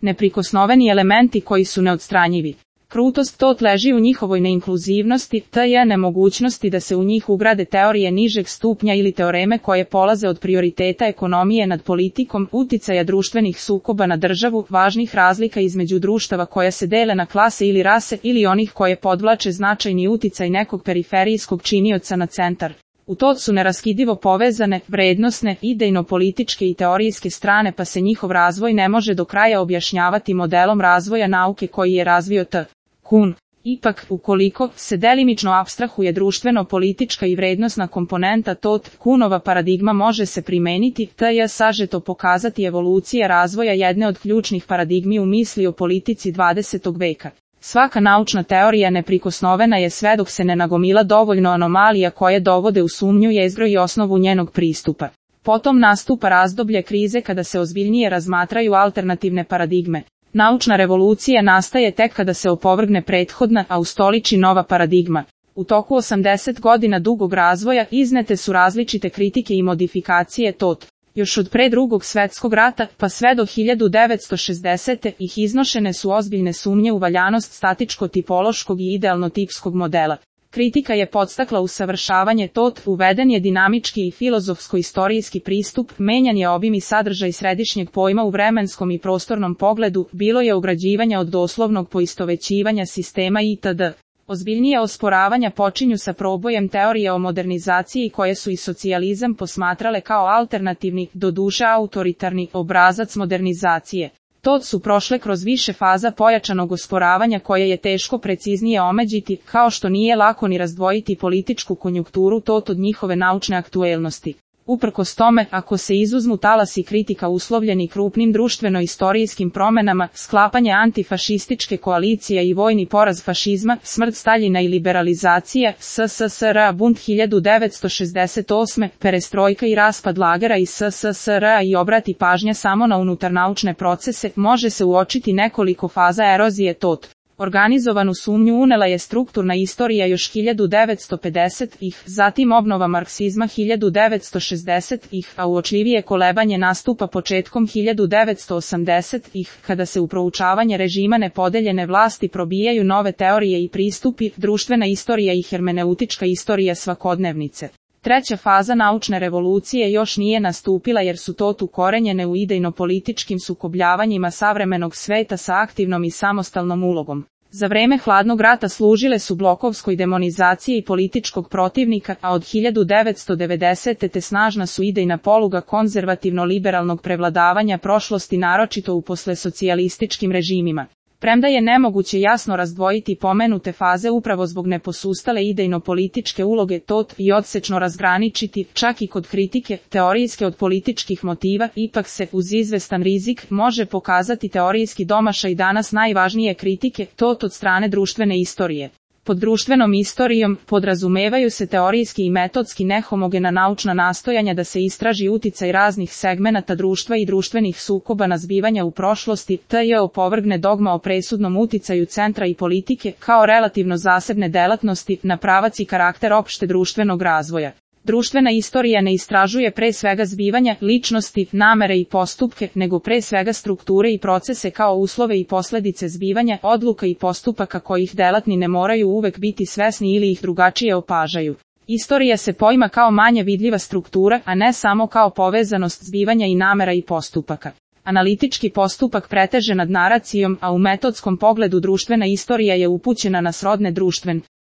neprikosnoveni elementi koji su neodstranjivi. Krutost tot leži u njihovoj neinkluzivnosti, t.j. nemogućnosti da se u njih ugrade teorije nižeg stupnja ili teoreme koje polaze od prioriteta ekonomije nad politikom, uticaja društvenih sukoba na državu, važnih razlika između društava koja se dele na klase ili rase ili onih koje podvlače značajni uticaj nekog periferijskog činioca na centar. U to su neraskidivo povezane, vrednosne, idejno-političke i teorijske strane pa se njihov razvoj ne može do kraja objašnjavati modelom razvoja nauke koji je razvio T. Kuhn. Ipak, ukoliko se delimično apstrahuje društveno-politička i vrednosna komponenta tot, Kuhnova paradigma može se primeniti, t.j. sažeto pokazati evolucija razvoja jedne od ključnih paradigmi u misli o politici 20. veka. Svaka naučna teorija neprikosnovena je sve dok se ne nagomila dovoljno anomalija koje dovode u sumnju jezgro i osnovu njenog pristupa. Potom nastupa razdoblje krize kada se ozbiljnije razmatraju alternativne paradigme. Naučna revolucija nastaje tek kada se opovrgne prethodna, a ustoliči nova paradigma. U toku 80 godina dugog razvoja iznete su različite kritike i modifikacije tot. Još od pre Drugog svjetskog rata, pa sve do 1960. ih iznošene su ozbiljne sumnje u valjanost statičko-tipološkog i idealno-tipskog modela. Kritika je podstakla usavršavanje tot, uveden je dinamički i filozofsko-istorijski pristup, menjan je obim i sadržaj središnjeg pojma u vremenskom i prostornom pogledu, bilo je ugrađivanja od doslovnog poistovećivanja sistema itd. Ozbiljnije osporavanja počinju sa probojem teorije o modernizaciji koje su i socijalizam posmatrale kao alternativni, doduše autoritarni, obrazac modernizacije. To su prošle kroz više faza pojačanog osporavanja koje je teško preciznije omeđiti, kao što nije lako ni razdvojiti političku konjunkturu tot od njihove naučne aktuelnosti. Uprkos tome, ako se izuzmu talasi kritika uslovljeni krupnim društveno-istorijskim promenama, sklapanje antifašističke koalicije i vojni poraz fašizma, smrt Staljina i liberalizacija, SSSR, bunt 1968, perestrojka i raspad lagera i SSSR i obrati pažnja samo na unutarnaučne procese, može se uočiti nekoliko faza erozije tot. Organizovanu sumnju unela je strukturna istorija još 1950-ih, zatim obnova marksizma 1960-ih, a uočljivije kolebanje nastupa početkom 1980-ih, kada se u proučavanje režima nepodeljene vlasti probijaju nove teorije i pristupi, društvena istorija i hermeneutička istorija svakodnevnice. Treća faza naučne revolucije još nije nastupila jer su tot ukorenjene u idejno-političkim sukobljavanjima savremenog sveta sa aktivnom i samostalnom ulogom. Za vreme hladnog rata služile su blokovskoj demonizaciji političkog protivnika, a od 1990. te snažna su idejna poluga konzervativno-liberalnog prevladavanja prošlosti naročito u poslesocijalističkim režimima. Premda je nemoguće jasno razdvojiti pomenute faze upravo zbog neposustale idejno-političke uloge tot i odsečno razgraničiti, čak i kod kritike, teorijske od političkih motiva, ipak se, uz izvestan rizik, može pokazati teorijski domašaj danas najvažnije kritike, tot od strane društvene istorije. Pod društvenom istorijom podrazumevaju se teorijski i metodski nehomogena naučna nastojanja da se istraži uticaj raznih segmenata društva i društvenih sukoba na zbivanja u prošlosti, t.j. opovrgne dogma o presudnom uticaju centra i politike kao relativno zasebne delatnosti na pravac i karakter opšte društvenog razvoja. Društvena istorija ne istražuje pre svega zbivanja, ličnosti, namere i postupke, nego pre svega strukture i procese kao uslove i posledice zbivanja, odluka i postupaka kojih delatni ne moraju uvek biti svesni ili ih drugačije opažaju. Istorija se poima kao manje vidljiva struktura, a ne samo kao povezanost zbivanja i namera i postupaka. Analitički postupak preteže nad naracijom, a u metodskom pogledu društvena istorija je upućena na srodne društven